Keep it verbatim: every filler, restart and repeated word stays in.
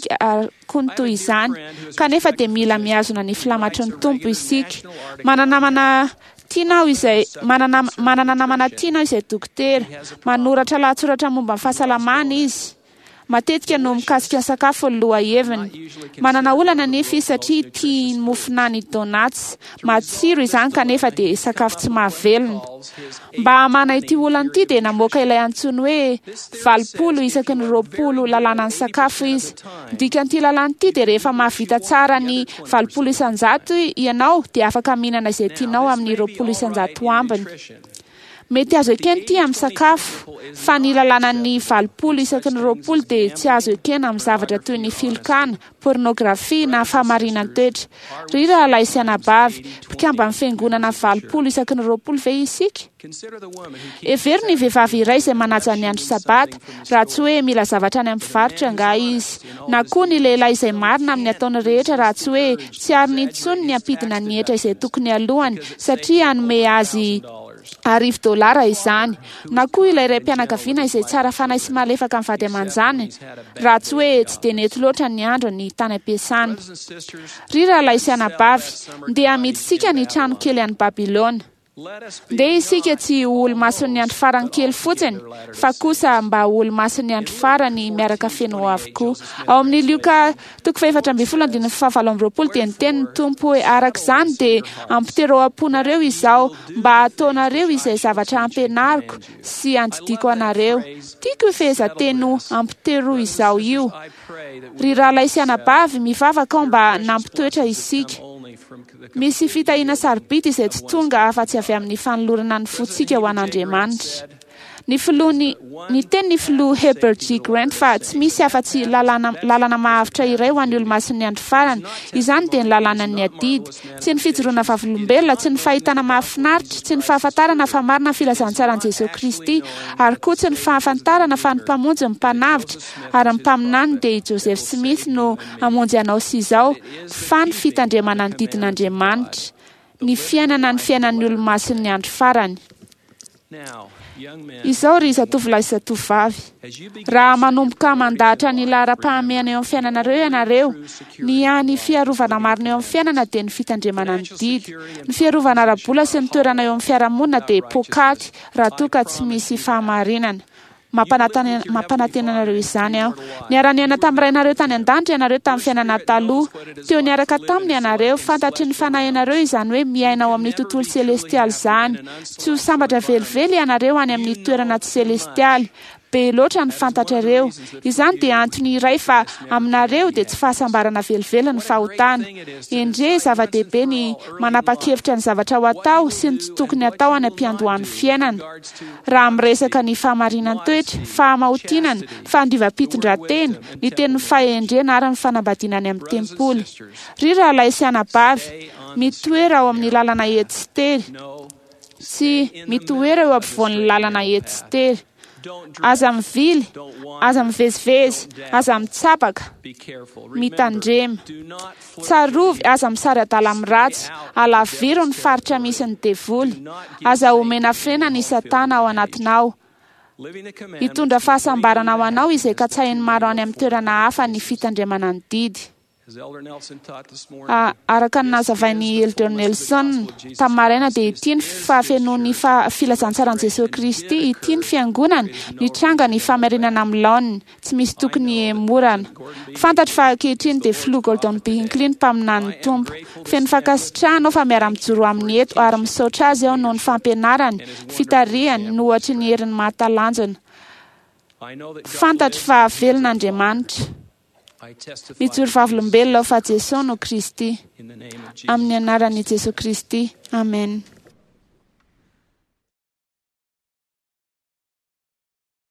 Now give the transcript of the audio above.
isika ary koa ny toy izany, kanefa dia mila mihazona ny filamatry ny Tompo isika. Manana namana tiana aho izay manana manana namana tiana aho izay dokotera. Manoratra lahatsoratra momba ny fahasalamana izy. Matetika no mikasika ny sakafo ny lohaheviny. Manana olana nefa izy satria tia ny mofonany donuts. Matsiro izany kanefa dia sakafo tsy mahavelona. Mba hamahana ity olana ity dia namoaka ilay antsoiny hoe valopolo isaky ny roapolo lalànan'ny sakafo izy. Ny dikan'ity lalàna ity dia rehefa mahavita tsara ny valopolo isanjato ianao dia afaka mihinana izay tianao amin'ny roapolo isanjato ambiny. Mety azo ekena ity amin'ny sakafo, fa ny lalànan'ny valopolo isaky ny roapolo dia tsy azo ekena amin'ny zavatra toy ny filokana, pornografia na fahamarinan-toetra. Ry rahalahy sy anabavy, mpikamban'ny fiangonana valopolo isaky ny roapolo ve isika? Hevero ny vehivavy iray izay manaja ny andro sabata, raha tsy hoe mila zavatra any amin'ny mpivarotra angaha izy, na koa ny lehilahy izay marina amin'ny ataony rehetra raha tsy hoe tsy ariny intsony ny hampidina ny hetra izay tokony alohany satria hanome azy arivo dolara izany, na koa ilay raim-pianakaviana izay tsara fanahy sy malefaka amin'ny vady aman-janany raha tsy hoe tsy dia nety loatra ny andro ny tany am-piasana. Ry rahalahy sy anabavy, ndeha hamidintsika ny trano kely any Babylona. Ndeha isika tsy ho olomasin'ny andro farany kely fotsiny, fa kosa mba ho olomasin'ny andro farany miaraka feno avokoa. Ao amin'ny Lioka toko fahefatra ambin'ny folo andininy fahavalo amby roapolo dia niteny ny Tompo hoe: araka izany dia ampiterao am-ponareo izao mba hataonareo izay zavatra ampianariko sy andidiako anareo. Tiako io fehezanteny ampitero izao io. Ry rahalahy sy anabavy, mivavaka aho mba nampitoetra isika. Misy fitahiana sarobidy izay tsy tonga afa-tsy avy amin'ny fanolorana ny fontsika ho an'Andriamanitra. Ny filoha ny niteny ny filoha Heber G. Grant fa tsy misy afa-tsy lalàna lalana mahavitra iray ho an'ny olomasin'ny andro farany. Izany dia ny lalànan'ny adidy. Tsy ny fijoroana vavolombelona, tsy ny fahitana mahafinaritra, tsy ny fahafantarana fa marina ny filazantsaran'i Jesosy Kristy, ary koa tsy ny fahafantarana fa ny mpamonjy ny mpanavotra ary ny mpaminany dia i Joseph Smith no hamonjy anao sy izao, fa ny fitandremana ny didin'Andriamanitra, ny fiainana ny fiainan'ny olomasin'ny andro farany. Izao ry zatovolahy sy zatovovavy, raha manomboka mandahatra ny laharam-pahamehana eo amin'ny fiainanareo ianareo, ny hany fiarovana marina eo amin'ny fiainana dia ny fitandremana ny didy. Ny fiarovana ara-bola sy ny toerana eo amin'ny fiarahamonina dia pokaty raha toa ka tsy misy fahamarinana. Mampanantena anareo izany aho. Niara-niaina tamin'ny rainareo tany an-danitra ianareo tamin'ny fiainana taloha. Teo niaraka taminy ianareo, fantatry ny fanahinareo izany hoe miaina ao amin'ny tontolo selestialy izany. Tsy ho sambatra velively ianareo any amin'ny toerana tsy selestialy. Be loatra ny fantatrareo. Izany dia antony iray fa aminareo dia tsy fahasambarana velively ny fahotana. Endrey zava-dehibe ny manapa-kevitra ny zavatra ho atao sy ny tsy tokony atao any am-piandohan'ny fiainana. Raha miresaka ny fahamarinan-toetra, fahamaotinana, fandiovam-pitondran-tena, ny tenin'ny fahendrena ary ny fanambadiana any amin'ny tempoly. Ry rahalahy sy anabavy, mitoera ao amin'ny lalana ety sy tery. Tsy mitoera eo ampovoan'ny lalana ety sy tery. Aza mivily, aza mivezivezy, aza mitsabaka, mitandrema. Tsarovy, aza misary adala amin'ny ratsy, alaviro ny faritra misy ny devoly. Aza omena frena ny satana ao anatinao. Hitondra fahasambarana ho anao izay katsahin'ny maro any amin'ny toerana hafa ny fitandremana ny didy. Araka ny nazavain'i Elder Nelson tamin'ny maraina dia ity ny fahafenoan'ny filazantsaran'i Jesosy Kristy, ity ny fiangonana, nitranga ny famerenana amin'ny laoniny, tsy misy tokony hemorana. Fantatro fa ankehitriny dia filoha Gordon B. Hinckley ny mpaminanin'ny Tompo. Feno fankasitrahana aho fa miara-mijoro aminy eto ary misaotra azy aho noho ny fampianarany, fitarihany, no ohatry ny heriny mahatalanjona. Fantatro fa velona Andriamanitra. Mijoro vavolombelona aho fa Jesosy no Kristy. Amin'ny anaran'i Jesosy Kristy. Amen.